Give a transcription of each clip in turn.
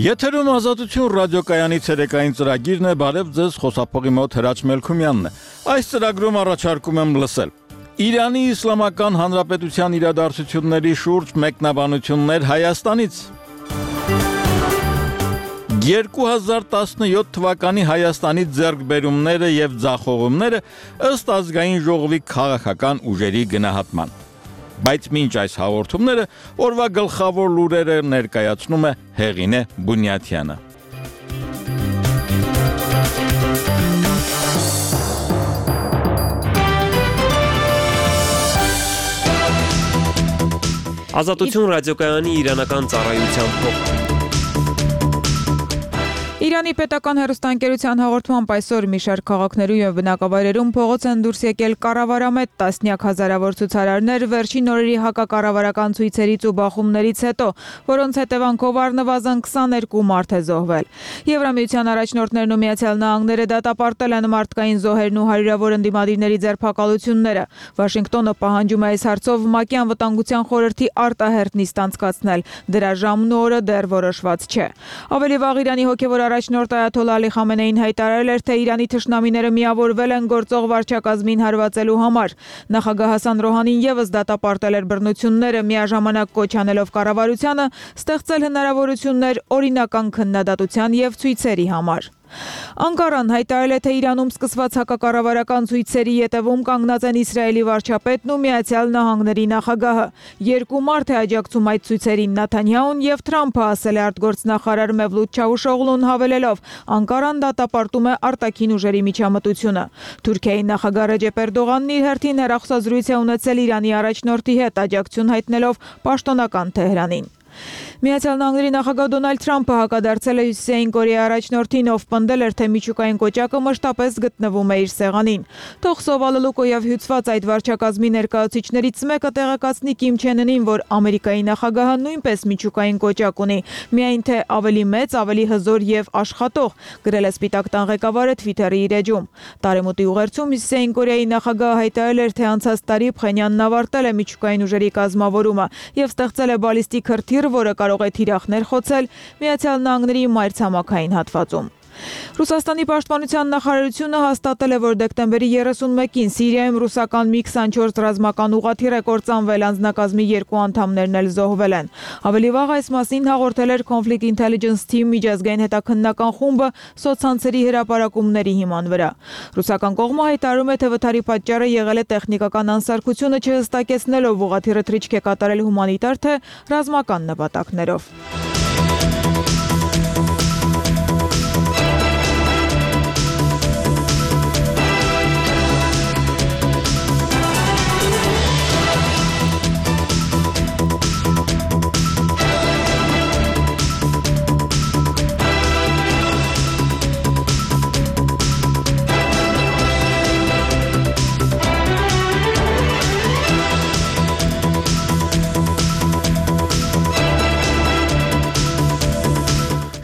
Եթերում Ազատություն ռադիոկայանի ցերեկային ծրագիրն է, բարև ձեզ, խոսափողի մոտ Հրաչ Մելքումյանն է։ Այս ծրագրում առաջարկում եմ լսել Իրանի Իսլամական Հանրապետության իրադարձությունների շուրջ մեկնաբանություններ Հայաստանից։ 2017 թվականի Հայաստանի ձեռքբերումները եւ ձախողումները ըստ ազգային ժողովի քաղաքական ուժերի գնահատման։ Բայց մինչ այս հաղորդումները օրվա գլխավոր լուրերը ներկայացնում է Հեղինե Բունյաթյանը։ Ազատություն ռադիոկայանի իրանական ծառայության փոխ Իրանի պետական հեռուստաընկերության հաղորդմամբ այսօր մի շարք քաղաքներում եւ բնակավայրերում փողոց են դուրս եկել կառավարամետ տասնյակ հազարավոր ցուցարարներ վերջին օրերի հակակառավարական ցույցերից ու բախումներից հետո, որոնց հետևանքով առնվազն 22 մարդ է զոհվել։ Եվրամիության առաջնորդներն ու Միացյալ Նահանգները դատապարտել են մարդկային զոհերն ու հարյուրավոր ընդդիմադիրների ձերբակալությունները։ Վաշինգտոնը պահանջում է այս հարցով ՄԱԿ-ի անվտանգության խորհրդի արտահերթ նիստ անցկացնել։ Դրա ժամն ու օրը դեռ որոշված չէ։ Ավելի վաղ Իրանի հոգևոր առաջնորդ Այաթոլլահ Ալի Խամենեին հայտարարել էր, թե Իրանի թշնամիները միավորվել են գործող վարչակազմին հարվածելու համար։ Նախագահ Հասան Ռոհանին եւս դատապարտել էր բռնությունները, միաժամանակ կոչ անելով կառավարությանը ստեղծել հնարավորություններ օրինական քննադատության եւ ցույցերի համար։ Անկարան հայտարարել է, թե Իրանում սկսված հակակառավարական ցույցերի ետևում կանգնած են Իսրայելի վարչապետն ու Միացյալ Նահանգների նախագահը։ Երկու մարդ է աջակցում այդ ցույցերին՝ Նեթանյահուն եւ Թրամփը, ասել է արտգործնախարար Մևլութ Չավուշօղլուն, հավելելով. Անկարան դատապարտում է արտաքին ուժերի միջամտությունը։ Թուրքիայի նախագահ Ռեջեփ Էրդողանն իր հերթին հեռախոսազրույց է ունեցել Իրանի առաջնորդի հետ, աջակցություն հայտնելով պաշտոնական Թեհրանին։ Միացյալ Նահանգների նախագահ Դոնալդ Թրամփը հակադարձել է Հյուսիսային Կորեայի առաջնորդին, ով պնդել էր, թե միջուկային կոճակը մշտապես գտնվում է իր սեղանին։ Թող սովալելու կոյավ հյուծված այդ վարչակազմի ներկայացուցիչներից մեկը տեղեկացնի Կիմ Չեն Ընին, որ Ամերիկայի նախագահը նույնպես միջուկային կոճակ ունի, միայն թե ավելի մեծ, ավելի հզոր եւ աշխատող, գրել է Սպիտակ տան ղեկավարը Twitter-ի իր էջում։ Տարեմուտի ուղերձում Հյուսիսային Կորեայի նախագահը հայտարարել էր, թե անցած տարի Փխենյանն ավարտել է միջուկային ուժերի կազմավորումը եւ ստեղծել է բալիստիկ հրթիռ, որը կարող է թիրախներ խոցել Միացյալ Նահանգների մայրցամաքային հատվածում։ Ռուսաստանի պաշտպանության նախարարությունը հաստատել է, որ դեկտեմբերի 31-ին Սիրիայում ռուսական Mi-24 ռազմական ուղղաթիռ է կործանվել, անձնակազմի 2 անդամներն էլ զոհվել են։ Ավելի վաղ այս մասին հաղորդել էր Conflict Intelligence Team միջազգային հետաքննական խումբը սոցցանցերի հրապարակումների հիման վրա։ Ռուսական կողմը հայտարարում է, թե վթարի պատճառը եղել է տեխնիկական անսարքությունը չհստակեցնելով ուղղաթիռը թռիչք է կատարել հումանիտար թե ռազմական նպատակներով։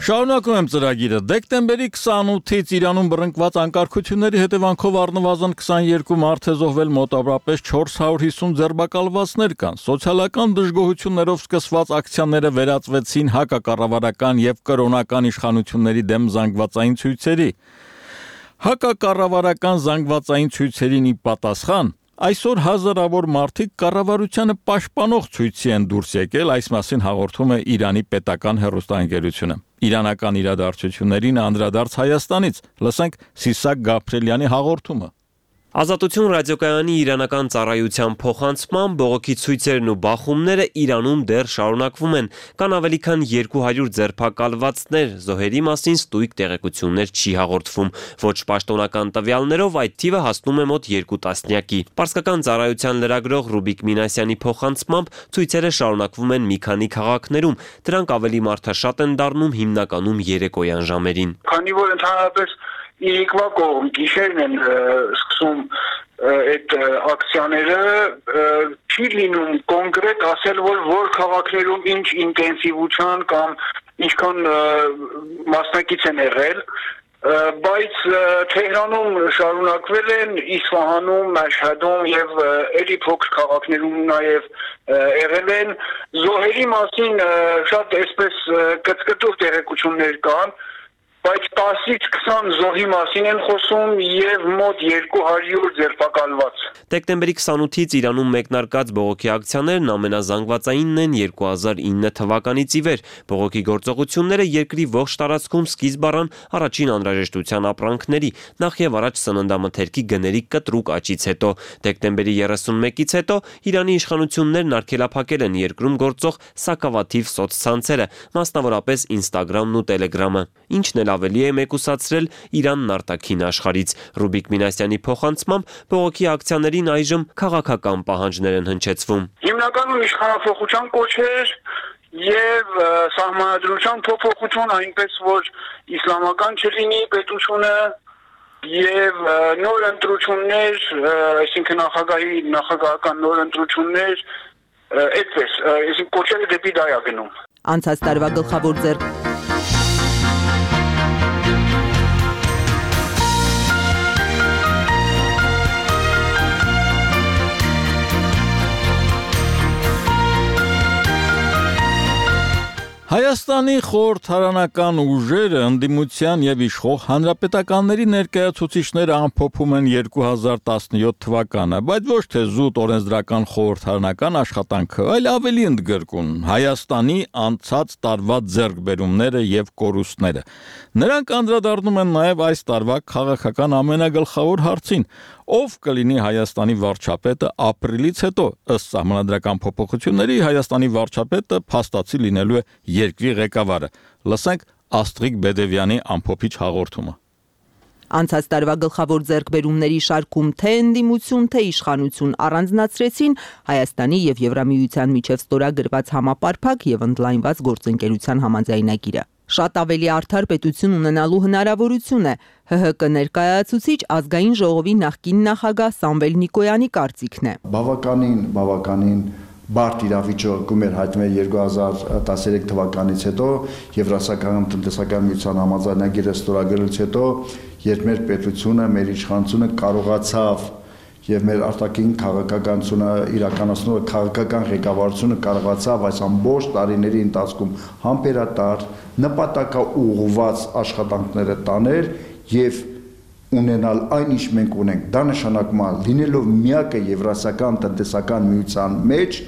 Շարունակում եմ ծրագիրը։ Դեկտեմբերի 28-ից Իրանում բռնկված անկարգությունների հետևանքով առնվազն 22 մարդ է զոհվել, մոտավորապես 450 ձերբակալվածներ կան։ Սոցիալական դժգոհություններով սկսված ակցիաները վերածվեցին հակակառավարական եւ կրոնական իշխանությունների դեմ զանգվածային ցույցերի։ Հակակառավարական զանգվածային ցույցերին ի պատասխան այսօր հազարավոր մարդիկ կառավարությանը պաշտպանող ցույցի են դուրս եկել, այս մասին հաղորդում է Իրանի պետական հեռուստաընկերությունը։ Իրանական իրադարձություններին անդրադարձ Հայաստանից, լսենք Սիսակ Գաբրելյանի հաղորդումը։ Ազատություն ռադիոկայանի իրանական ծառայության փոխանցման բողոքի ցույցերն ու բախումները Իրանում դեռ շարունակվում են, կան ավելի քան 200 ձերբակալվածներ, զոհերի մասին ստույգ տեղեկություններ չի հաղորդվում, ոչ պաշտոնական տվյալներով այդ թիվը հասնում է մոտ 2 տասնյակի։ Պարսկական ծառայության լրագրող Ռուբիկ Մինասյանի փոխանցմամբ ցույցերը շարունակվում են մի քանի քաղաքներում, դրանք ավելի մարդաշատ են դառնում հիմնականում երեկոյան ժամերին։ Քանի որ ընդհանրապես Իրիկվա կողմ գիշերն են սկսում այդ ակցիաները, չի լինում կոնկրետ ասել, որ քաղաքներում ինչ ինտենսիվության կամ ինչքան մասնակից են եղել, բայց Թեհրանում շարունակվել են Իսֆահանում, Մաշհադում եւ էլի փոքր քաղաքներում նաեւ եղել են զոհերի մասին շատ այսպես կծկտող տեղեկություններ կան, բայց 10-ից 20 զոհի մասին են խոսում եւ մոտ 200 ձերբակալված։ Դեկտեմբերի 28-ից Իրանում մեկնարկած բողոքի ակցիաներն ամենազանգվածայինն են 2009 թվականից ի վեր։ Բողոքի գործողությունները երկրի ողջ տարածքում սկիզբ առան առաջին անհրաժեշտության ապրանքների, նախ եւ առաջ սննդամթերքի գների կտրուկ աճից հետո։ Դեկտեմբերի 31-ից հետո Իրանի իշխանություններն արգելափակել են երկրում գործող սակավաթիվ սոցցանցերը, մասնավորապես Instagram-ն ու Telegram-ը, ինչն էլ ավելի է մեկուսացրել Իրանն արտաքին աշխարհից։ Ռուբիկ Մինասյանի փոխանցմամբ բողոքի ակցիաներին այժմ քաղաքական պահանջներ են հնչեցվում։ Հիմնականում իշխանափոխության կոչեր եւ սահմանադրության փոփոխություն, այնպես որ իսլամական չլինի պետությունը եւ նոր ընտրություններ, այսինքն նախագահական նոր ընտրություններ, այդպես, այսինքն կոչերը դեպի դա է գնում։ Անցած տարվա գլխավոր ձեռք Հայաստանի խորհրդարանական ուժերը ընդդիմության եւ իշխող հանրապետականների ներկայացուցիչները ամփոփում են 2017 թվականը, բայց ոչ թե զուտ օրենսդրական խորհրդարանական աշխատանքը, այլ ավելի ընդգրկուն Հայաստանի անցած տարվա ձեռքբերումները եւ կորուստները։ Նրանք անդրադառնում են նաեւ այս տարվա քաղաքական ամենագլխավոր հարցին. ով կլինի Հայաստանի վարչապետը ապրիլից հետո, ըստ սահմանադրական փոփոխությունների Հայաստանի վարչապետը փաստացի լինելու է երկրի ղեկավարը։ Լսենք Աստրիկ Բեդևյանի ամփոփիչ հաղորդումը։ Անցած տարվա գլխավոր ձեռքբերումների շարքում թե ընդդիմություն, թե իշխանություն առանձնացրեցին Հայաստանի եւ Եվրամիության միջև ստորագրված համապարփակ եւ ընդլայնված գործընկերության համաձայնագիրը։ Շատ ավելի արդար պետություն ունենալու հնարավորություն է ՀՀԿ ներկայացուցիչ ազգային ժողովի նախկին նախագահ Սամվել Նիկոյանի կարծիքն է։ Բավականին բարդ իրավիճակում էր հայտնվել 2013 թվականից հետո Եվրասիական տնտեսական միության համաձայնագիրը ստորագրելուց հետո, երբ մեր պետությունը, մեր իշխանությունը կարողացավ եւ մեր արտաքին քաղաքականությունը իրականացնող քաղաքական ղեկավարությունը կարողացավ այս ամբողջ տարիների ընթացքում համբերատար, նպատակաուղղված աշխատանքները տանել եւ ունենալ այն ինչ մենք ունենք։ Դա նշանակում է լինելով միակը Եվրասիական տնտեսական միության մեջ,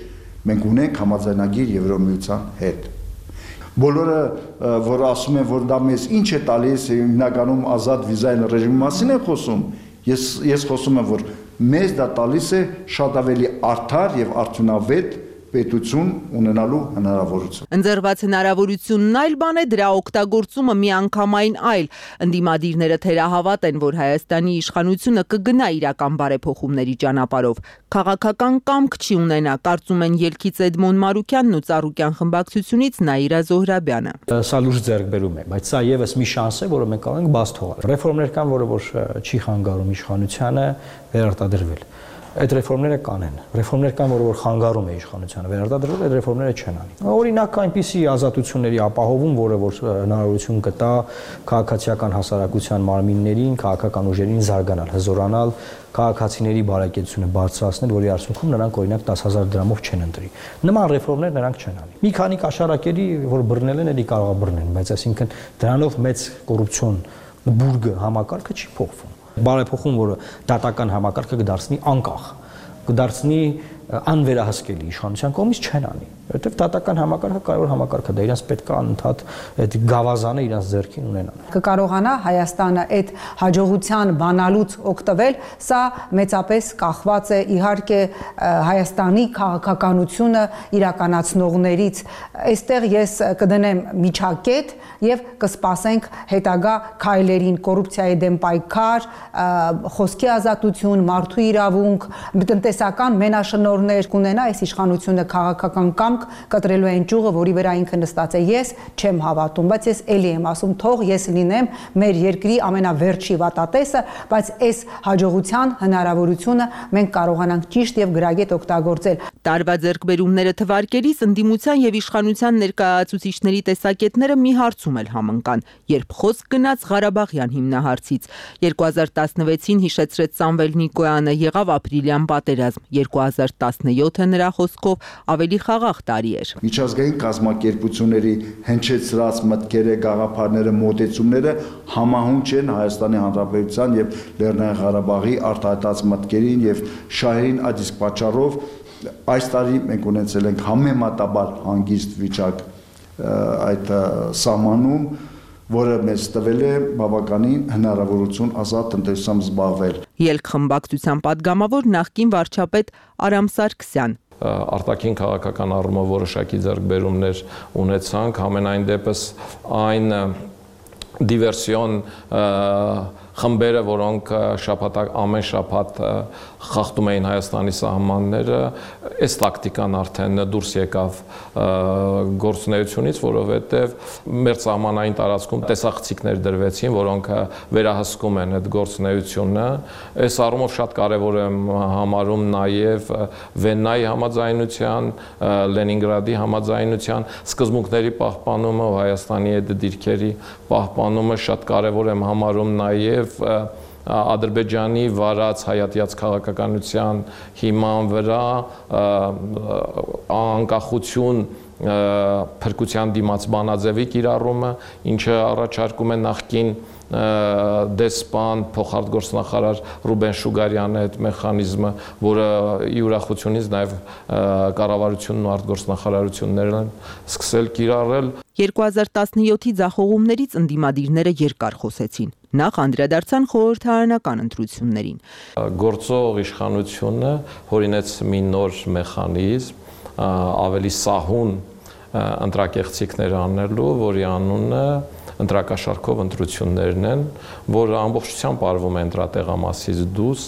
մենք ունենք համաձայնագիր Եվրոմիության հետ։ Բոլորը, որ ասում են, որ դա մեզ ինչ է տալիս, հիմնականում ազատ վիզային ռեժիմի մասին են խոսում, ես խոսում եմ, որ մեզ դա տալիս է շատ ավելի արդար եւ արդյունավետ պետություն ունենալու հնարավորություն։ Ընձեռված հնարավորությունն այլ բան է, դրա օգտագործումը միանգամայն այլ։ Ընդդիմադիրները թերահավատ են, որ Հայաստանի իշխանությունը կգնա իրական բարեփոխումների ճանապարհով։ Քաղաքական կամք չի ունենա, կարծում են ելքից Էդմոն Մարուկյանն ու Ծառուկյան խմբակցությունից Նաիրա Զոհրաբյանը։ Սա լուրջ ձեռքբերում է, բայց սա եւս մի շանս է, որը մենք կարող ենք բաց թողնել։ Ռեֆորմներ կան, որը որ չի խանգարում իշխանությանը վերարտադրվել։ Այդ ռեֆորմները կանեն։ Ռեֆորմներ կան, որը որ խանգարում է իշխանությանը վերարտադրվել, այդ ռեֆորմները չեն անի։ Օրինակ այնպիսի ազատությունների ապահովում, որը որ հնարավորություն կտա քաղաքացիական հասարակության մարմիններին, քաղաքական ուժերին զարգանալ, հզորանալ, քաղաքացիների բարեկեցությունը բարձրացնել, որի արդյունքում նրանք օրինակ 10,000 դրամով չեն ընտրի։ Նման ռեֆորմներ նրանք չեն անի։ Մի քանի կաշառակերի, որ բռնել են, էլի կարող է բռնեն, բայց այսինքն դրանով մեծ կոռուպցիոն բուրգը համակարգը չի փոխվում։ Բարեփոխում, որը դատական համակարգը կդարձնի անկախ, կդարձնի անվերահսկելի իշխանության կողմից չեն անի, որովհետև դատական համակարգը կարևոր համակարգ է, դա իրենց պետք է անընդհատ այդ գավազանը իրենց ձեռքին ունենան։ Կկարողանա Հայաստանը այդ հաջողության բանալուց օգտվել, սա մեծապես կախված է իհարկե Հայաստանի քաղաքականությունը իրականացնողներից։ Այստեղ ես կդնեմ միջակետ եւ կսպասենք հետագա քայլերին, կոռուպցիայի դեմ պայքար, խոսքի ազատություն, մարդու իրավունք, տնտեսական մենաշնորհ դիտորդներ կունենա, այս իշխանությունը քաղաքական կամք կտրելու այն ճյուղը, որի վրա ինքը նստած է, ես չեմ հավատում, բայց ես էլի եմ ասում, թող ես լինեմ մեր երկրի ամենավերջի վատատեսը, բայց այս հաջողության հնարավորությունը մենք կարողանանք ճիշտ եւ գրագետ օգտագործել։ Տարվա ձեռքբերումները թվարկելիս ընդդիմության եւ իշխանության ներկայացուցիչների տեսակետները մի հարցում էլ համընկան, երբ խոսք գնաց Ղարաբաղյան հիմնահարցից։ 2016-ին հիշեցրեց Սամվել Նիկոյանը, եղավ ապրիլյան պատերազմ, 2017-ը նրա խոսքով ավելի խաղաղ տարի էր։ Միջազգային կազմակերպությունների հնչեցրած մտքերը, գաղափարները, մոտեցումները համահունչ են Հայաստանի Հանրապետության եւ Լեռնային Ղարաբաղի արտահայտած մտքերին եւ շահերին, այդ իսկ պատճառով այս տարի մենք ունեցել ենք համեմատաբար հանգիստ վիճակ այդ սահմանում, որը մեզ տվել է բավականին հնարավորություն ազատ տնտեսությամբ զբաղվել։ Ելք խմբակցության падգամավոր նախկին վարչապետ Արամ Սարգսյան։ Արտաքին քաղաքական առումով որոշակի ձեռքբերումներ ունեցանք, համենայն դեպս այն դիվերսիոն խմբերը, որոնք ամեն շաբաթ խախտում էին Հայաստանի սահմանները, այս տակտիկան արդեն դուրս եկավ գործունեությունից, որովհետև մեր սահմանային տարածքում տեսախցիկներ դրվեցին, որոնք վերահսկում են այդ գործունեությունը։ Այս առումով շատ կարևոր եմ համարում նաև Վեննայի համաձայնության, Լենինգրադի համաձայնության սկզբունքների պահպանումը, Հայաստանի հետ դիրքերի պահպանումը շատ կարևոր եմ համարում նաև Ադրբեջանի վարած հայատյաց քաղաքականության հիման վրա անկախություն փրկության դիմաց բանաձևի կիրառումը, ինչը առաջարկում է նախկին դեսպան փոխարտգործնախարար Ռուբեն Շուգարյանը այդ մեխանիզմը, որը ի ուրախությունից նաև կառավարությունն ու արտգործնախարարություններն են սկսել կիրառել։ 2017-ի ձախողումներից ընդդիմադիրները երկար խոսեցին։ Նախ անդրադարձան խորհրդարանական ընտրություններին։ Գործող իշխանությունը հորինեց մի նոր մեխանիզմ, ավելի սահուն ընտրակեղծիքներ անելու, որի անունը ընտրակաշառքով ընտրություններն են, որը ամբողջությամբ արվում է ընտրատեղամասից դուրս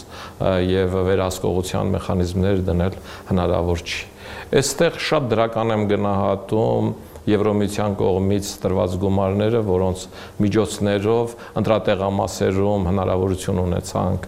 եւ վերահսկողության մեխանիզմներ դնել հնարավոր չի։ Այստեղ շատ դրական եմ գնահատում Եվրոմիության կողմից տրված գումարները, որոնց միջոցներով ընտրատեղամասերում հնարավորություն ունեցանք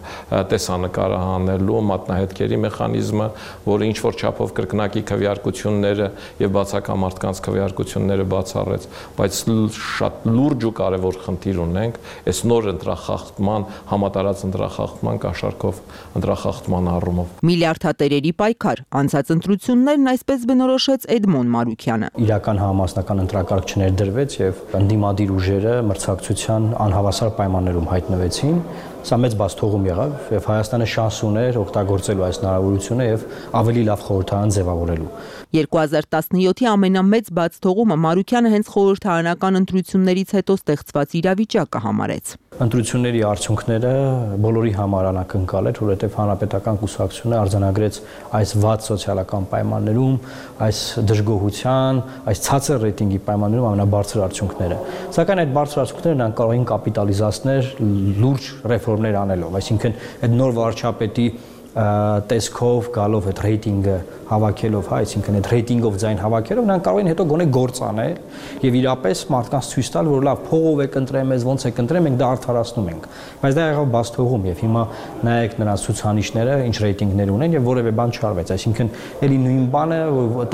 տեսանկարը հանելու մատնահետքերի մեխանիզմը, որը ինչ որ չափով կրկնակի քվեարկությունները եւ բացակա մարդկանց քվեարկությունները բացառեց, բայց շատ լուրջ ու կարեւոր խնդիր ունենք այս նոր ընտրախախտման, համատարած ընտրախախտման կաշառքով ընտրախախտման առումով։ Միլիարդատերերի պայքար, անցած ընտրություններն այսպես բնորոշեց Էդմոն Մարուկյանը։ Իրական համասնական ընտրակարգ չներդրվեց եւ ընդդիմադիր ուժերը մրցակցության անհավասար պայմաններում հայտնվեցին։ Սա մեծ բացթողում եղավ եւ Հայաստանը շանս ուներ օգտագործելու այս հնարավորությունը եւ ավելի լավ խորհրդարան ձևավորելու։ 2017-ի ամենամեծ բացթողումը Մարուկյանը հենց խորհրդարանական ընտրություններից հետո ստեղծված իրավիճակը համարեց։ Ընտրությունների արդյունքները բոլորի համար անակնկալ էր, որովհետև հանրապետական կուսակցությունը արձանագրեց այս վատ սոցիալական պայմաններում, այս դժգոհության, այս ցածր ռեյտինգի պայմաններում ամենաբարձր արդյունքները։ Սակայն այդ բարձր արդյունքները նրանք կարող էին կապիտալիզացնել լուրջ ռեֆորմներ անելով, այսինքն այդ նոր վարչապետի տեսքով գալով այդ ռեյտինգը հավաքելով, այսինքն այդ ռեյտինգով ձայն հավաքելով, նրանք կարող են հետո գոնե գործ անել եւ իրապես մարդկանց ցույց տալ, որ լավ փողով եք ընտրել մեզ, ոնց եք ընտրել, մենք դա արդարացնում ենք։ Բայց դա եղավ բացթողում եւ հիմա նայեք նրանց ցուցանիշները, ինչ ռեյտինգներ ունեն եւ որևէ բան չարվեց, այսինքն էլի նույն բանը,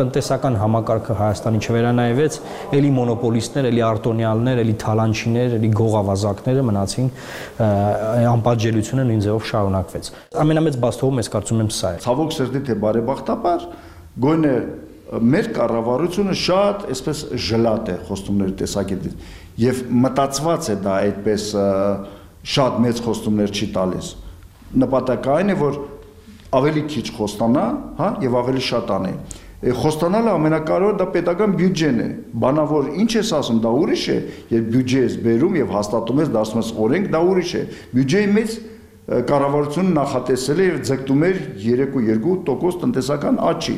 տնտեսական համակարգը Հայաստանի չվերանայվեց, էլի մոնոպոլիստներ, էլի արտոնյալներ, էլի թալանչիներ, էլի գողավազակները մնացին, անպատժելիությունը նույն ձևով շարունակվեց։ Ամենամեծ բացթողում ես կարծում եմ սա է։ Ցավոք սրտի թե բարեբախտաբար գոնե մեր կառավարությունը շատ այսպես ժլատ է խոստումների տեսակետից եւ մտածված է դա այդպես շատ մեծ խոստումներ չի տալիս։ Նպատակը այն է, որ ավելի քիչ խոստանա, հա, եւ ավելի շատ անի։ Խոստանալը ամենակարևորը դա պետական բյուջեն է։ Բանավոր ինչ ես ասում, դա ուրիշ է, երբ բյուջե ես բերում եւ հաստատում ես, դարձնում ես օրենք, դա ուրիշ է։ Բյուջեի մեջ կառավարությունը նախատեսել է եւ ձգտում էր 3.2% տնտեսական աճի,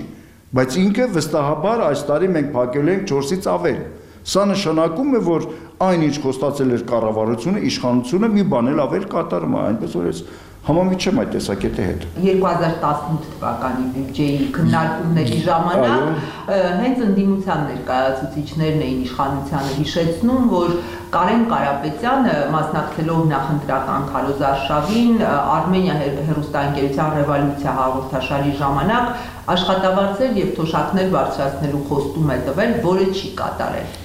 բայց ինքը վստահաբար այս տարի մենք փակել ենք 4-ից ավել։ Սա նշանակում է, որ այնինչ խոստացել էր կառավարությունը, իշխանությունը մի բան էլ ավել կատարում է, այնպես որ ես Համամիջ չեմ այդ տեսակետի հետ։ 2018 թվականի բյուջեի քննարկումների ժամանակ հենց ընդդիմության ներկայացուցիչներն էին իշխանությանը հիշեցնում, որ Կարեն Կարապետյանը մասնակցելով նախընտրական քարոզարշավին Արմենիա հեռուստաընկերության ռևոլյուցիա հաղորդաշարի ժամանակ աշխատավարձեր եւ թոշակներ բարձրացնելու խոստում է տվել, որը չի կատարել։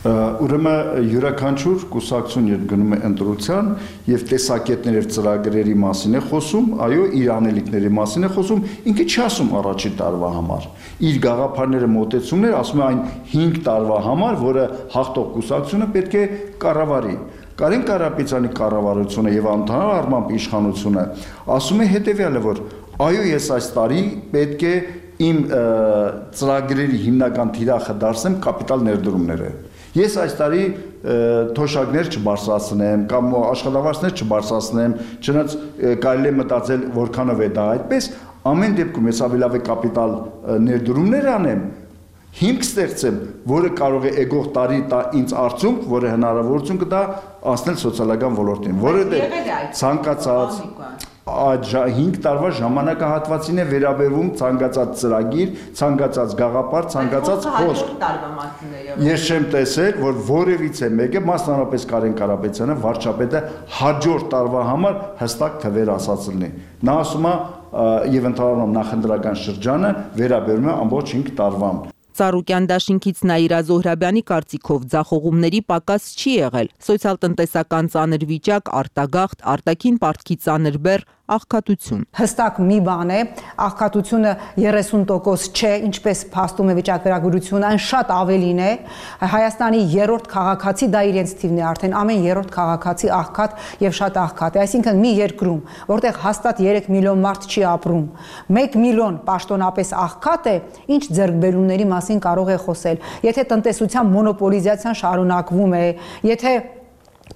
Ուրեմն յուրաքանչյուր կուսակցություն երբ գնում է ընտրության եւ տեսակետներ եւ ծրագրերի մասին է խոսում, այո, իր անելիքների մասին է խոսում, ինքը չի ասում առաջի տարվա համար։ Իր գաղափարները մոտեցումներ ասում է այն 5 տարվա համար, որը հաղթող կուսակցությունը պետք է կառավարի։ Կարեն Կարապետյանի կառավարությունը եւ ընդհանուր առմամբ իշխանությունը ասում է հետեւյալը, որ այո, ես այս տարի պետք է իմ ծրագրերի հիմնական թիրախը դարձնեմ կապիտալ ներդրումները։ Ես այս տարի թոշակներ չբարձրացնեմ կամ աշխատավարձներ չբարձրացնեմ, չնայած կարելի է մտածել որքանով է դա այդպես, ամեն դեպքում ես ավելի լավ է կապիտալ ներդրումներ անեմ, հիմք ստեղծեմ, որը կարող է եկող տարի տա ինձ արդյունք, որը հնարավորություն կտա անցնել սոցիալական ոլորտին, որը ցանկացած այդ 5 տարվա ժամանակահատվածին է վերաբերվում ցանկացած ծրագիր, ցանկացած գաղափար, ցանկացած խոսք։ Ես չեմ տեսել, որ որևիցե մեկը, մասնավորապես Կարեն Կարապետյանը, վարչապետը հաջորդ տարվա համար հստակ թվեր ասած լինի։ Նա ասում է եւ ընդհանրապես նախընտրական շրջանը վերաբերում է ամբողջ 5 տարվան։ Ծառուկյան դաշինքից Նաիրա Զոհրաբյանի կարծիքով ձախողումների պակաս չի եղել։ Սոցիալ-տնտեսական ծանր վիճակ, արտագաղթ, արտաքին պարտքի ծանր բեռ, աղքատություն։ Հստակ մի բան է, աղքատությունը 30% չէ, ինչպես փաստում է վիճակագրությունը, այն շատ ավելին է։ Հայաստանի 3-րդ քաղաքացի դա իրենց թիվն է արդեն, ամեն 3-րդ քաղաքացի աղքատ եւ շատ աղքատ է։ Այսինքն մի երկրում, որտեղ հաստատ 3 միլիոն մարդ չի ապրում, 1 միլիոն պաշտոնապես աղքատ է, ինչ ձեռքբերումների մասին կարող է խոսել։ Եթե տնտեսության մոնոպոլիզացիան շարունակվում է, եթե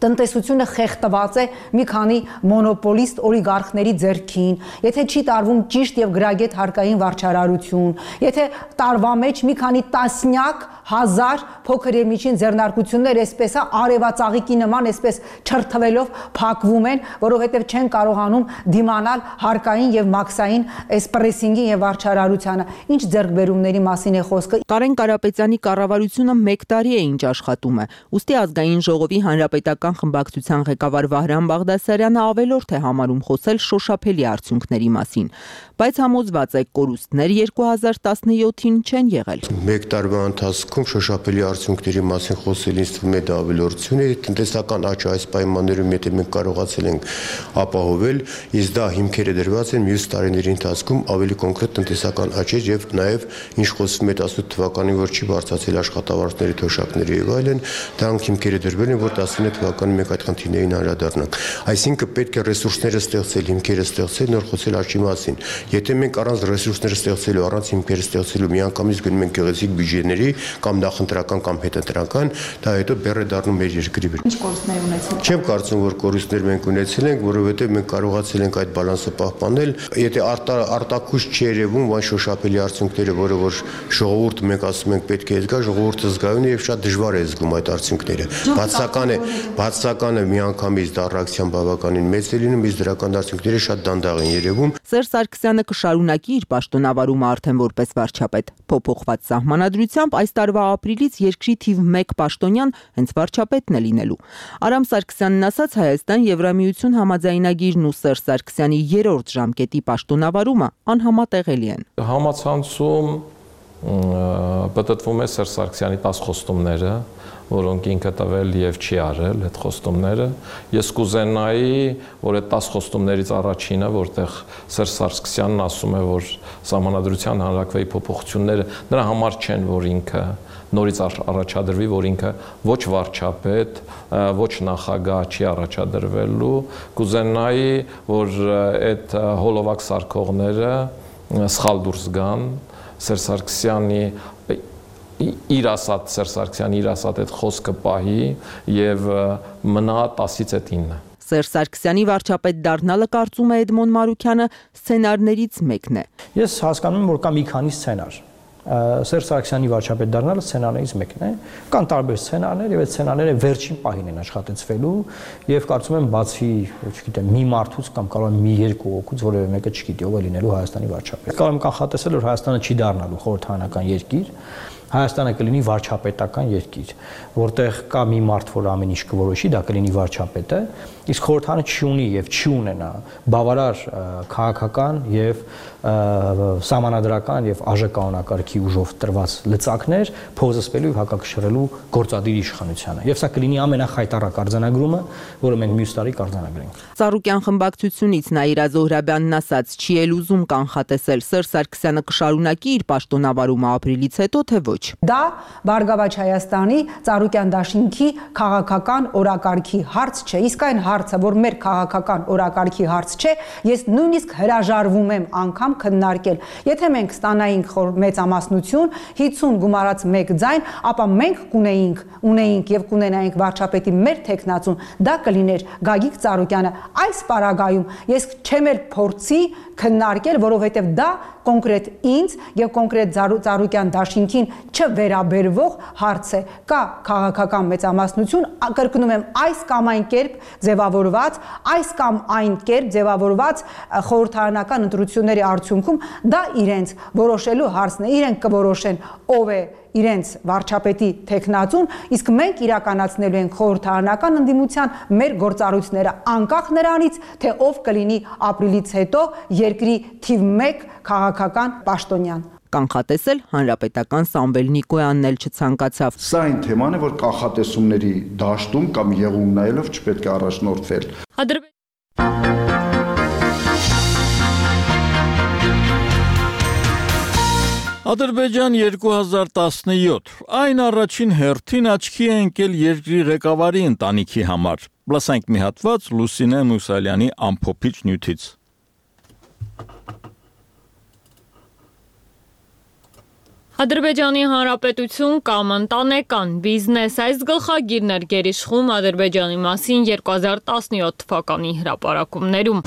տնտեսությունը խեղդված է մի քանի մոնոպոլիստ օլիգարխների ձեռքին, եթե չի տարվում ճիշտ եւ գրագետ հարկային վարչարարություն, եթե տարվա մեջ մի քանի տասնյակ հազար փոքր եւ միջին ձեռնարկություններ այսպես արևածաղիկի նման այսպես չրթվելով փակվում են, որովհետեւ չեն կարողանում դիմանալ հարկային եւ մաքսային այս պրեսինգին եւ վարչարարությանը։ Ինչ ձեռքբերումների մասին է խոսքը։ Կարեն Կարապետյանի կառավարությունը 1 տարի է ինչ աշխատում է։ Ուստի ազգային ժողովի հանրապետական խմբակցության ղեկավար Վահրամ Բաղդասարյանը ավելորդ է համարում խոսել շոշափելի արդյունքների մասին, բայց համոզված է կորուստներ 2017-ին չեն եղել։ 1 տարվա ընթացքում շոշափելի արդյունքների մասին խոսել ինձ թվում է դա ավելորդություն է, տնտեսական աճը այս պայմաններում եթե մենք կարողացել ենք ապահովել, իսկ դա հիմքերը դրված են մյուս տարիների ընթացքում ավելի կոնկրետ տնտեսական աճ եւ նաեւ ինչ խոսվում է 18 թվականին, որ չի բարձրացել աշխատավարձների թոշակները եւ այլն, դրանք հիմքերը դրվել են, որ 19 թվականին մենք այդ խնդիրներին անդրադառնանք։ Այսինքն պետք է ռեսուրսները ստեղծել, հիմքերը ստեղծել, նոր խոսել աճի մասին։ Եթե մենք առանց ռեսուրսները ստեղծելու, առանց հիմքերը ստեղծելու միանգամից գնում ենք գեղեցիկ բյուջեների կամ նախընտրական կամ հետընտրական, դա հետո բեռ է դառնում մեր երկրի վրա։ Ինչ կորուստներ ունեցել։ Չեմ կարծում, որ կորուստներ մենք ունեցել ենք, որովհետև մենք կարողացել ենք այդ բալանսը պահպանել։ Եթե արտաքուշ չի երևում այն շոշափելի արդյունքները, որը որ ժողովուրդը մենք ասում ենք պետք է զգա, ժողովուրդը զգայուն է եւ շատ դժվար է զգում այդ արդյունքները։ Բացական է միանգամից դառնակցիան բավականին մեծ է լինում, իսկ դրական արդյունքները շատ դանդաղ են երևում։ Սերժ Սարգսյանը կշարունակի իր պաշտոնավարումը արդեն որպես վարչապետ։ Փոփոխված սահմանադրությամբ այս տարվա ապրիլից երկրի թիվ 1 պաշտոնյան հենց վարչապետն է լինելու։ Արամ Սարգսյանն ասաց, Հայաստան Եվրամիություն համաձայնագիրն ու Սերժ Սարգսյանի 3-րդ ժամկետի պաշտոնավարումը անհամատեղելի են։ Համացանցում պատտվում է Սերժ Սարգսյանի 10 խոստումները, որոնք ինքը տվել եւ չի արել այդ խոստումները։ Ես կուզենայի, որ այդ 10 խոստումներից առաջինը, որտեղ Սերժ Սարգսյանն ասում է, որ Սահմանադրության հանրակրվեի փոփոխությունները նրա համար չեն, որ ինքը նորից առաջադրվի, որ ինքը ոչ վարչապետ, ոչ նախագահ չի առաջադրվելու, կուզենայի, որ այդ հոլովակ սարքողները սխալ դուրս գան, Սերժ Սարգսյանի իր ասած այդ խոսքը պահի եւ մնա 10-ից 9։ Սերժ Սարգսյանի վարչապետ դառնալը կարծում է Էդմոն Մարուքյանը սցենարներից մեկն է։ Ես հասկանում եմ, որ կա մի քանի սցենար։ Սերժ Սարգսյանի վարչապետ դառնալը սցենարներից մեկն է։ Կան տարբեր սցենարներ եւ այդ սցենարները վերջին պահին են աշխատեցվելու եւ կարծում եմ բացի, չգիտեմ, մի մարդուց կամ կարող եմ մի երկու օգուց որևէ մեկը չգիտի ով է լինելու Հայաստանի վարչապետ։ Կարող եմ կանխատեսել, որ Հայաստանը չի դառնալու խորհրդարանական երկիր, Հայաստանը կլինի վարչապետական երկիր, որտեղ կա մի մարդ, որ ամեն ինչ կորոշի, դա կլինի վարչապետը, իսկ խորհրդարանը չի եւ չի ունենա բավարար քաղաքական եւ սահմանադրական եւ ԱԺ-կանոնակարգի ուժով տրված լծակներ փոխզսպելու եւ հակակշռելու գործադիր իշխանությանը։ Եվ սա կլինի ամենախայտառակ արձանագրումը, որը մենք մյուս տարի կարձանագրենք։ Ծառուկյան խմբակցությունից Նաիրա Զոհրաբյանն ասաց, չի էլ ուզում կանխատեսել Սերժ Սարգսյանը կշարունակի իր պաշտոնավարումը ապրիլից հետո, թե ոչ։ Դա Բարգավաճ Հայաստանի Ծառուկյան դաշինքի քաղաքական օրակարգի հարց չէ, իսկ այն հարցը, որ մեր քաղաքական օրակարգի հարց չէ, ես նույնիսկ հրաժարվում եմ անգամ քննարկել։ Եթե մենք ստանայինք մեծամասնություն, 50 գումարած 1 ձայն, ապա մենք ունեինք եւ կունենայինք վարչապետի մեր տեխնացուն, դա կլիներ Գագիկ Ծառուկյանը։ Այս պարագայում ես չեմ էլ փորձի քննարկել, որովհետեւ դա կոնկրետ ինձ եւ կոնկրետ Ծառուկյան դաշինքին չվերաբերվող հարց է։ Կա քաղաքական մեծամասնություն, կրկնում եմ, այս կամ այն կերպ ձևավորված, այս կամ այն կերպ ձևավորված խորհրդարանական ընտրությունների արդյունքում դա իրենց որոշելու հարցն է, իրենք կորոշեն ով է իրենց վարչապետի տեխնացուն, իսկ մենք իրականացնելու ենք խորհրդարանական ընդդիմության մեր գործառույթները անկախ նրանից, թե ով կլինի ապրիլից հետո երկրի թիվ 1 քաղաքական պաշտոնյան։ Կանխատեսել հանրապետական Սամվել Նիկոյանն էլ չցանկացավ։ Սա այն թեման է, որ կանխատեսումների դաշտում կամ եղում նայելով չպետք է առաջնորդվել։ Ադրբեջան 2017 այն առաջին հերթին աչքի է ընկել երկրի ղեկավարի ընտանիքի համար։ Լսենք մի հատված Լուսինե Մուսալյանի ամփոփիչ նյութից։ Ադրբեջանի Հանրապետություն կամ ընտանեկան բիզնես այս գլխագիրն էր գերիշխում Ադրբեջանի մասին 2017 թվականի հրապարակումներում։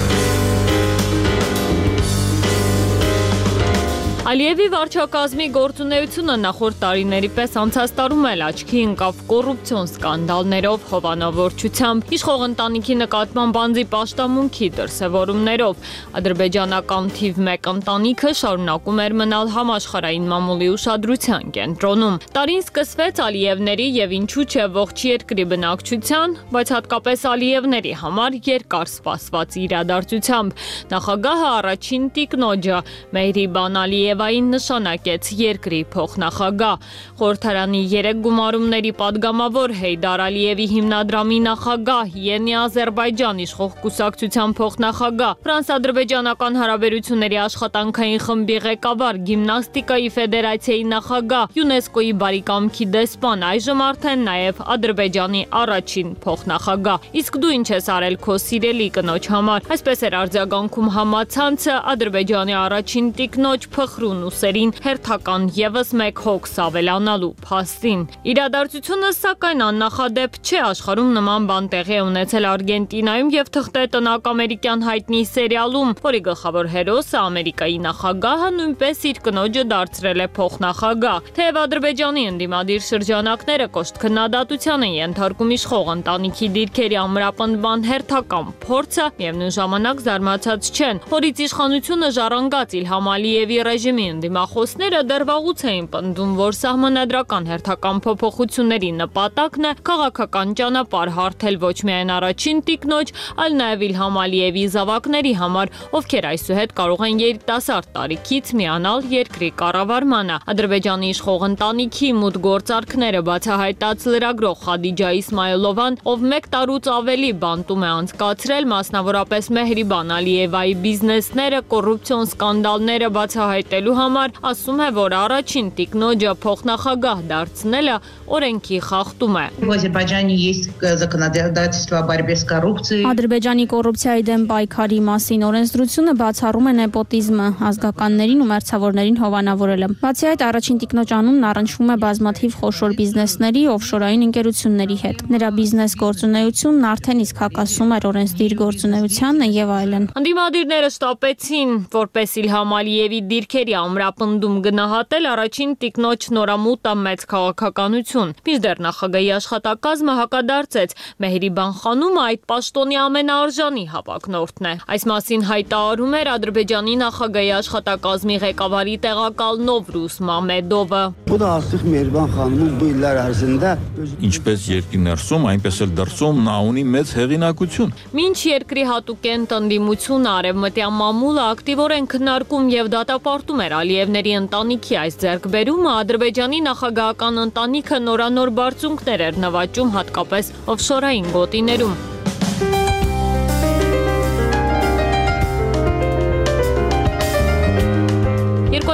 Ալիևի վարչակազմի գործունեությունը նախորդ տարիների պես անցած տարում էլ աչքի ընկավ կոռուպցիոն սկանդալներով, հովանավորչությամբ, իշխող ընտանիքի նկատմամբ անձի պաշտամունքի դրսևորումներով։ Ադրբեջանական թիվ 1 ընտանիքը շարունակում էր մնալ համաշխարհային մամուլի ուշադրության կենտրոնում։ Տարին սկսվեց Ալիևների եւ ինչու՞ չէ ողջ երկրի բնակչության, բայց հատկապես Ալիևների համար երկար սպասված իրադարձությամբ։ Նախագահը առաջին տիկնոջը Մեհրիբան Ալիևային նշանակեց երկրի փոխնախագահ։ Խորհրդարանի 3 գումարումների падգամավոր Հեյդար Ալիևի հիմնադրամի նախագահ, Յենի Ադրբեջան իշխող կուսակցության փոխնախագահ, Ֆրանս-ադրբեջանական հարաբերությունների աշխատանքային խմբի ղեկավար, գիմնաստիկայի ֆեդերացիայի նախագահ, ՅՈՒՆԵՍԿՕ-ի բարեկամքի դեսպան, այժմ արդեն նաև Ադրբեջանի առաջին փոխնախագահ։ Իսկ դու ինչ ես արել քո սիրելի կնոջ համար։ Այսպես էր արձագանքում համացանցը Ադրբեջանի առաջին տիկնոջ փխրուն ուսերին հերթական եւս մեկ հոգս ավելանալու փաստին։ Իրադարձությունը սակայն աննախադեպ չէ, աշխարհում նման բան տեղի է ունեցել Արգենտինայում եւ թղթե տնակ ամերիկյան հայտնի սերիալում, որի գլխավոր հերոսը Ամերիկայի նախագահը նույնպես իր կնոջը դարձրել է փոխնախագահ։ Թեև Ադրբեջանի ընդդիմադիր շրջանակները կոշտ քննադատության են ենթարկում իշխող ընտանիքի դիրքերի ամրապնդման հերթական փորձը, միևնույն ժամանակ զարմացած չեն, որից իշխանությունը ժառանգած Իլհամ Ալիևի ռեժիմի ընդդիմախոսները դեռ վաղուց էին պնդում, որ սահմանադրական հերթական փոփոխությունների նպատակն է քաղաքական ճանապարհ հարթել ոչ միայն առաջին տիկնոջ, այլ նաև Իլհամ Ալիևի զավակների համար, ովքեր այսուհետ կարող են երիտասարդ տարիքից միանալ երկրի կառավարմանը։ Ադրբեջանի իշխող ընտանիքի մուտք գործարքները բացահայտած լրագրող Խադիջա Իսմայելովան, ով 1 տարուց ավելի բանտում է անցկացրել, մասնավորապես Մեհրիբան Ալիևայի բիզնեսները, կոռուպցիոն սկանդալները բացահայտելու համար, ասում է, որ առաջին տիկնոջը փոխնախագահ դարձնելը օրենքի խախտում է։ Ադրբեջանի կոռուպցիայի դեմ պայքարի մասին օրենսդրությունը բացառում է նեպոտիզմը, ազգականներին ու մերձավորներին հովանավորելը։ Բացի այդ, առաջին տիկնոջ անունն առնչվում է բազմաթիվ խոշոր բիզնեսների, օֆշորային ընկերությունների հետ։ Նրա բիզնես գործունեությունն արդեն իսկ հակասում էր օրենսդիր գործունեությանը եւ այլն։ Ընդդիմադիրները շտապեցին, որպես Իլհամ Ալիևի դիրքերի Սերիա ամրապնդում գնահատել առաջին տիկնոջ նորամուտը մեծ քաղաքականություն։ Մինչդեռ նախագահի աշխատակազմը հակադարձեց, Մեհրիբան խանումը այդ պաշտոնի ամենաարժանի հավակնորդն է։ Այս մասին հայտարարում էր Ադրբեջանի նախագահի աշխատակազմի ղեկավարի տեղակալ Նովրուզ Մամեդովը։ Ինչպես երկրի ներսում, այնպես էլ դրսում նա ունի մեծ հեղինակություն։ Մինչ երկրի հատուկենտ ընդդիմությունը արևմտյան մամուլը ակտիվորեն քննարկում եւ դատապարտում էր Ալիևների ընտանիքի այս ձեռքբերումը, Ադրբեջանի նախագահական ընտանիքը նորանոր բարձունքներ էր նվաճում հատկապես օֆշորային գոտիներում։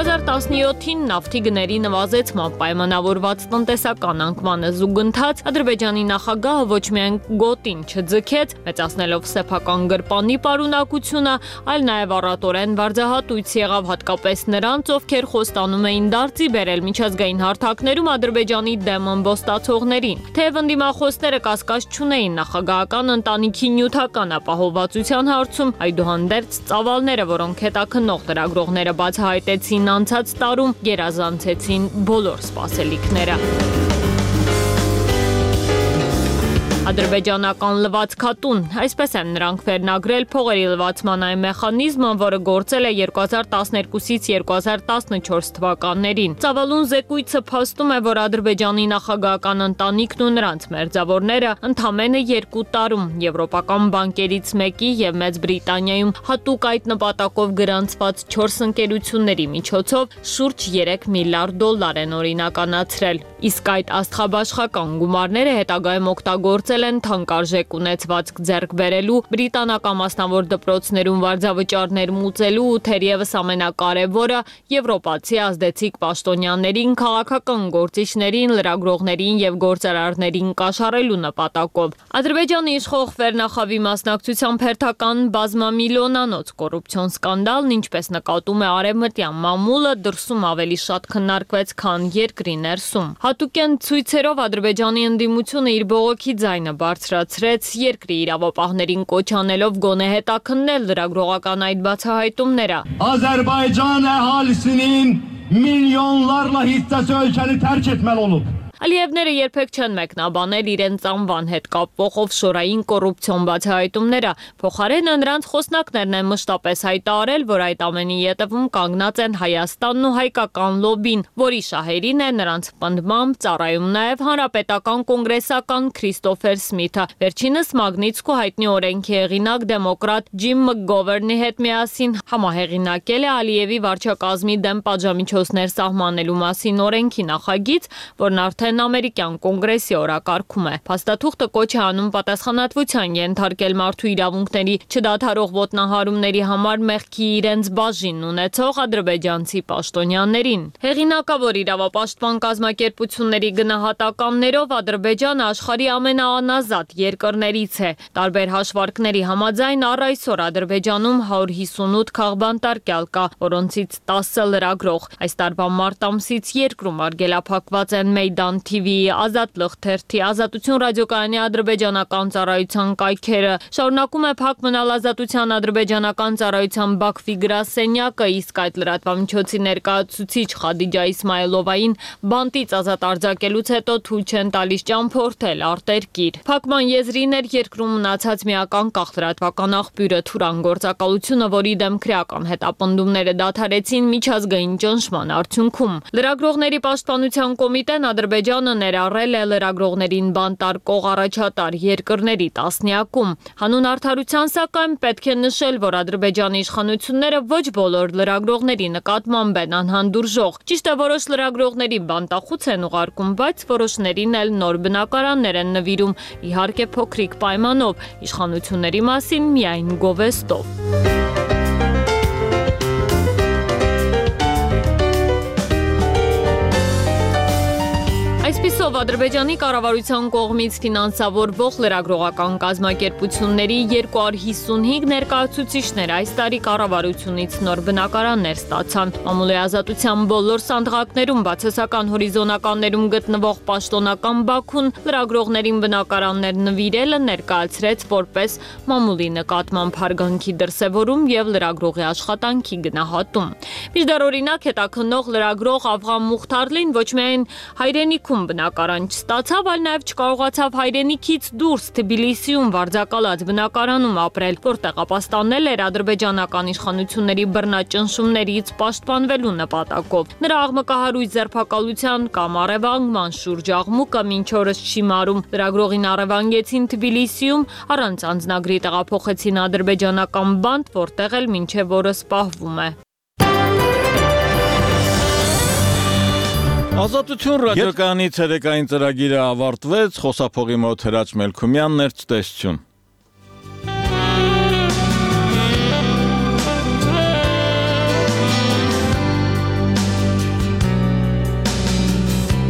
2017-ին նավթի գների նվազեցման պայմանավորված տնտեսական անկմանը զուգընթաց Ադրբեջանի նախագահը ոչ միայն գոտին չձգեց, մեծացնելով սեփական գրպանի պարունակությունը, այլ նաև առատորեն վարձահատույց եղավ հատկապես նրանց, ովքեր խոստանում էին դարձի բերել միջազգային հարթակներում Ադրբեջանի դեմ ըմբոստացողներին։ Թեև ընդդիմախոսները կասկած չունեին նախագահական ընտանիքի նյութական ապահովվածության հարցում, այդուհանդերձ ծավալները, որոնք հետաքննող լրագրողները բացահայտեցին անցած տարում, գերազանցեցին բոլոր սպասելիքները։ Ադրբեջանական լվացքատուն, այսպես են նրանք վերնագրել փողերի լվացման այն մեխանիզմը, որը գործել է 2012-ից 2014 թվականներին։ Ծավալուն զեկույցը փաստում է, որ Ադրբեջանի նախագահական ընտանիքն ու նրանց մերձավորները ընդամենը 2 տարում եվրոպական բանկերից մեկի եւ Մեծ Բրիտանիայում հատուկ այդ նպատակով գրանցված 4 ընկերությունների միջոցով շուրջ 3 միլիարդ դոլար են օրինականացրել։ Իսկ այդ աստղաբաշխական գումարները հետագայում օգտագործել են թանկարժեք ունեցվածք ձեռք բերելու, բրիտանական մասնավոր դպրոցներում վարձավճարներ մուծելու ու թերևս ամենակարևորը եվրոպացի ազդեցիկ պաշտոնյաներին, քաղաքական գործիչներին, լրագրողներին եւ գործարարներին կաշառելու նպատակով։ Ադրբեջանի իշխող Վերնախավի մասնակցությամբ հերթական բազմամիլիոնանոց կոռուպցիոն սկանդալն, ինչպես նկատում է արևմտյան մամուլը, դրսում ավելի շատ քննարկվեց, քան երկրի ներսում։ Հատուկեն ցույցերով Ադրբեջանի ընդդիմությունը իր բողոքի ձայնը բարձրացրեց, երկրի իրավապահներին կոչ անելով գոնե հետաքննել լրագրողական այդ բացահայտումները։ Azərbaycan əhalisinin milyonlarla hissəsi ölkəni tərk etməli olub. Ալիևները երբեք չեն մեկնաբանել իրենց անվան հետ կապվող օֆշորային կոռուպցիոն բացահայտումները, փոխարենը նրանց խոսնակներն են մշտապես հայտարարել, որ այդ ամենի ետևում կանգնած են Հայաստանն ու հայկական լոբին, որի շահերին է նրանց պնդմամբ ծառայում նաև հանրապետական կոնգրեսական Քրիստոֆեր Սմիթը, վերջինս Մագնիցկու հայտնի օրենքի հեղինակ դեմոկրատ Ջիմ Մկգովերնի հետ միասին համահեղինակել է Ալիևի վարչակազմի դեմ պատժամիջոցներ սահմանելու մասին օրենքի նախագիծ, որն արդեն ամերիկյան կոնգրեսի օրակարգում է։ Փաստաթուղթը կոչ է անում պատասխանատվության ենթարկել մարդու իրավունքների չդադարող ոտնահարումների համար մեղքի իրենց բաժինն ունեցող ադրբեջանցի պաշտոնյաներին։ Հեղինակավոր իրավապաշտպան կազմակերպությունների գնահատականներով Ադրբեջանը աշխարհի ամենաանազատ երկրներից է։ Տարբեր հաշվարկների համաձայն առ այսօր Ադրբեջանում 158 քաղբանտարկյալ կա, որոնցից 10 լրագրող։ Այս տարվա մարտ ամսից երկրում արգելափակված են Մեյդան TV-ի, Ազատ լրթերթի, Ազատություն ռադիոկայանի ադրբեջանական ծառայության կայքերը, շարունակում է փակ մնալ Ազատության ադրբեջանական ծառայության Բաքվի գրասենյակը, իսկ այդ լրատվամիջոցի ներկայացուցիչ Խադիջա Իսմայելովային բանտից ազատ արձակելուց հետո թույլ չեն տալիս ճամփորդել արտերկիր։ Փակման եզրին էր երկրում մնացած միական կախ լրատվական աղբյուրը Թուրան գործակալությունը, որի դեմ քրեական հետապնդումները դադարեցին միջազգային ճնշման արդյունքում։ Լրագրողների պաշտպանության կոմիտեն Ադրբեջանը ներառել է լրագրողներին բանտարկող առաջատար երկրների տասնյակում։ Հանուն արդարության սակայն պետք է նշել, որ Ադրբեջանի իշխանությունները ոչ բոլոր լրագրողների նկատմամբ են անհանդուրժող։ Ճիշտ է, որոշ լրագրողների բանտախուց են ուղարկում, բայց որոշներին էլ նոր բնակարաններ են նվիրում, իհարկե փոքրիկ պայմանով, իշխանությունների մասին միայն գովեստով։ Այսպիսով Ադրբեջանի կառավարության կողմից ֆինանսավորվող լրագրողական կազմակերպությունների 255 ներկայացուցիչներ այս տարի կառավարությունից նոր բնակարաններ ստացան։ Մամուլի ազատության բոլոր սանդղակներում բացասական հորիզոնականներում գտնվող պաշտոնական Բաքուն լրագրողներին բնակարաններ նվիրելը ներկայացրեց որպես մամուլի նկատմամբ հարգանքի դրսևորում եւ լրագրողի աշխատանքի գնահատում։ Մինչդեռ օրինակ հետաքննող լրագրող Ավղան Մուխթարլին ոչ միայն հայրենիքում բնակարան չստացավ, այլ նաև չկարողացավ հայրենիքից դուրս Թբիլիսիում վարձակալած բնակարանում ապրել, որտեղ ապաստանել էր ադրբեջանական իշխանությունների բռնաճնշումներից պաշտպանվելու նպատակով։ Նրա աղմկահարույց ձերբակալության կամ առևանգման շուրջ աղմուկը մինչ օրս չի մարում։ Լրագրողին առևանգեցին Թբիլիսիում, առանց անձնագրի տեղափոխեցին ադրբեջանական բանտ, որտեղ էլ մինչև օրս պահվում է։ Ազատություն ռադիոկայանի ցերեկային ծրագիրը ավարտվեց, խոսափողի մոտ Հրաչ Մելքումյանն էր, ցտեսություն։